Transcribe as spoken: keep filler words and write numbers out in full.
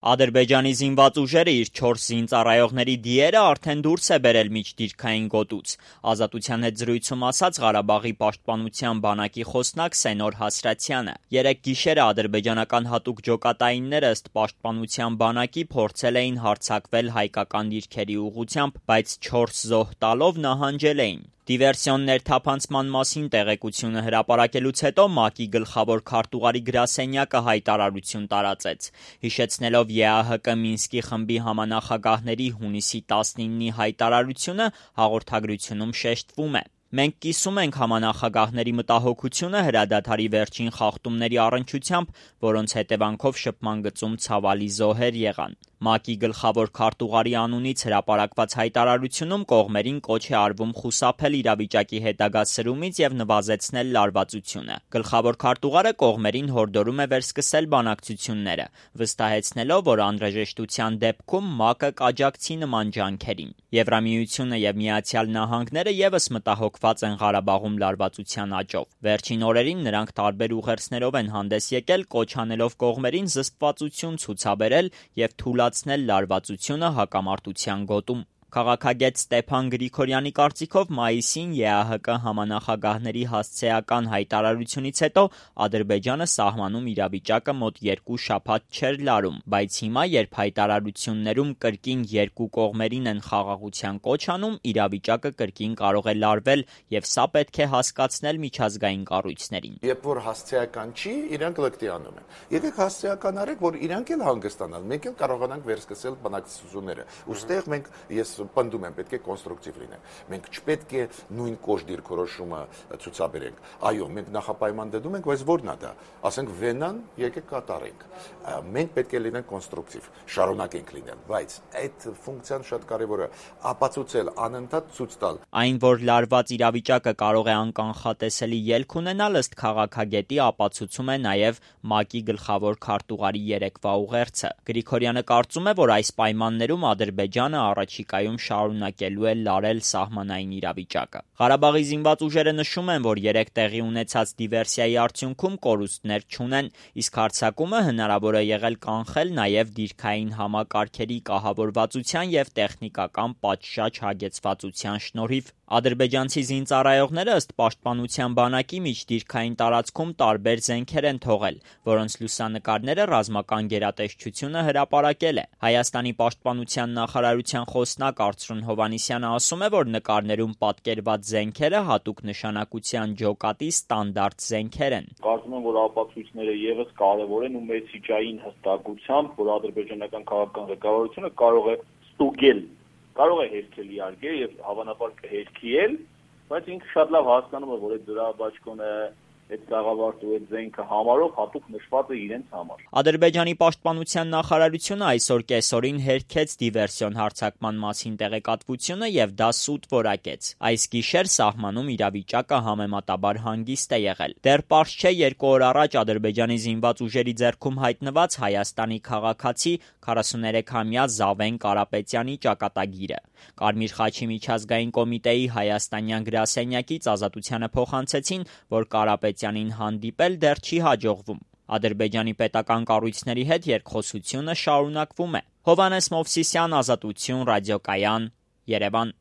Ադրբեջանի զինված ուժերը իր չորս զինծառայողների դիերը արդեն դուրս է բերել միջդիրքային գոտուց։ Ազատության հետ զրույցում ասաց Ղարաբաղի պաշտպանության բանակի խոսնակ Սենոր Հասրատյանը։ Երեկ գիշերը ադրբեջանական հատուկ ջոկատայինները ըստ պաշտպանության բանակի փորձել էին հարձակվել հայկական դիրքերի ուղղությամբ, բայց չորս զոհ տալով նահանջել էին։ Դիվերսիոն ներթափանցման մասին տեղեկությունը հրապարակելուց հետո ՄԱԿ-ի գլխավոր քարտուղարի գրասենյակը հայտարարություն տարածեց։ Հիշեցնելով ԵԱՀԿ Մինսկի խմբի համանախագահների հունիսի տասնինի հայտարարությունը, հաղորդագրությունում շեշտվում է. «Մենք կիսում ենք համանախագահների մտահոգությունը հրադադարի վերջին խախտումների առնչությամբ, որոնց հետևանքով շփման գծում ցավալի զոհեր եղան»։ ՄԱԿ-ի գլխավոր քարտուղարի անունից հրապարակված հայտարարությունում կողմերին կոչ է արվում խուսափել իրավիճակի հետագա սրումից եւ նվազեցնել լարվածությունը։ Գլխավոր քարտուղարը կողմերին հորդորում է վերսկսել բանակցությունները, վստահեցնելով, որ անհրաժեշտության դեպքում ՄԱԿ-ը կաջակցի նման ջանքերին։ Եվրամիությունը եւ Միացյալ Նահանգները եւս մտահոգված են Ղարաբաղում լարվածության աճով։ Վերջին օրերին նրանք տարբեր ուղերձներով են հանդես եկել, կոչ անելով կողմերին զսպվածություն ցուցաբերել եւ թուլացնել լարվածությունը հակամարտության գոտում։ Քաղաքագետ Ստեփան Գրիգորյանի կարծիքով մայիսին ԵԱՀԿ համանախագահների հասցեական հայտարարությունից հետո Ադրբեջանը սահմանում իրավիճակը մոտ երկու շաբաթ չէր լարում, բայց հիմա, երբ հայտարարություններում կրկին երկու կողմերին են խաղաղության կոչ անում, իրավիճակը կրկին կարող է լարվել եւ սա պետք է հասկացնել միջազգային կառույցներին։ Երբ որ հասցեական չի, իրանք լկտի անում են։ Եկեք հասցեական արեք, որ իրանք էլ հանգստանան, մենք էլ կարողանանք վերսկսել բանակցությունները։ Ոստեղ մենք ես պնդում եմ, պետք է կոնստրուկտիվ լինենք։ Մենք չպետք է նույն կոշտ դիրքորոշումը ցուցաբերենք։ Այո, մենք նախապայման դնում ենք, բայց ո՞րն է դա։ Ասենք Վենան, եկեք կատարենք։ Մենք պետք է լինենք կոնստրուկտիվ, շարունակենք լինել, բայց այդ ֆունկցիան շատ կարևոր է ապացուցել, անընդհատ ցույց տալ։ Այն, որ լարված իրավիճակը կարող է անկանխատեսելի ելք ունենալ, ըստ քաղաքագետի ապացուցում է նաև ՄԱԿ-ի գլխավոր քարտուղարի երեկվա ուղերձը։ Գրիգորյանը կարծում է, որ այս պայմաններում Ադրբեջանը առաջիկայում շարունակելու է լարել սահմանային իրավիճակը։ Ղարաբաղի զինված ուժերը նշում են, որ երեք տեղի ունեցած դիվերսիայի արդյունքում կորուստներ չունեն, իսկ հարձակումը հնարավոր է եղել կանխել նաև դիրքային համակարգերի կահավորվածության եւ տեխնիկական պատշաճ հագեցվածության շնորհիվ։ Ադրբեջանցի զինծառայողները ըստ պաշտպանության բանակի միջդիրքային տարածքում տարբեր զենքեր են թողել, որոնց լուսանկարները ռազմական գերատեսչությունը հրապարակել է։ Հայաստանի պաշտպանության նախարարության խոսնակ Արծրուն Հովհաննիսյանը ասում է, որ նկարներում պատկերված զենքերը հատուկ նշանակության ջոկատի ստանդարտ զենքեր են։ Կարծում եմ, որ ապացույցները եւս կարեւոր են ու մեսիջային հստակությամբ, որ ադրբեջանական քաղաքական ղեկավարությունը կարող է ստուգել, կարող է հերքել իհարկե եւ հավանաբար կհերքի էլ, բայց ինքը շատ լավ հասկանում է, որ այդ դրաբաճկոնը այդ գաղավարտու այդ զենքը համարով հատուկ նշված է իրենց համար։ Ադրբեջանի պաշտպանության նախարարությունը այսօր կեսօրին հերքեց դիվերսիոն հարձակման մասին տեղեկատվությունը եւ դա սուտ որակեց։ Այս գիշեր սահմանում իրավիճակը համեմատաբար հանգիստ է եղել։ Դեռ պարզ չէ երկու օր առաջ Ադրբեջանի զինված ուժերի ձեռքում հայտնված Հայաստանի քաղաքացի քառասուներեքամյա Զավեն Կարապետյանի ճակատագիրը։ Կարմիր խաչի միջազգային կոմիտեի հայաստանյան գրասենյակից Ազատությանը փոխանցեցին, որ Կարապետյանին հանդիպել դեռ չի հաջողվում։ Ադրբեջանի պետական կառույցների հետ երկխոսությունը շարունակվում է։ Հովհաննես Մովսիսյան, Ազատություն, ռադիոկայան, Երևան։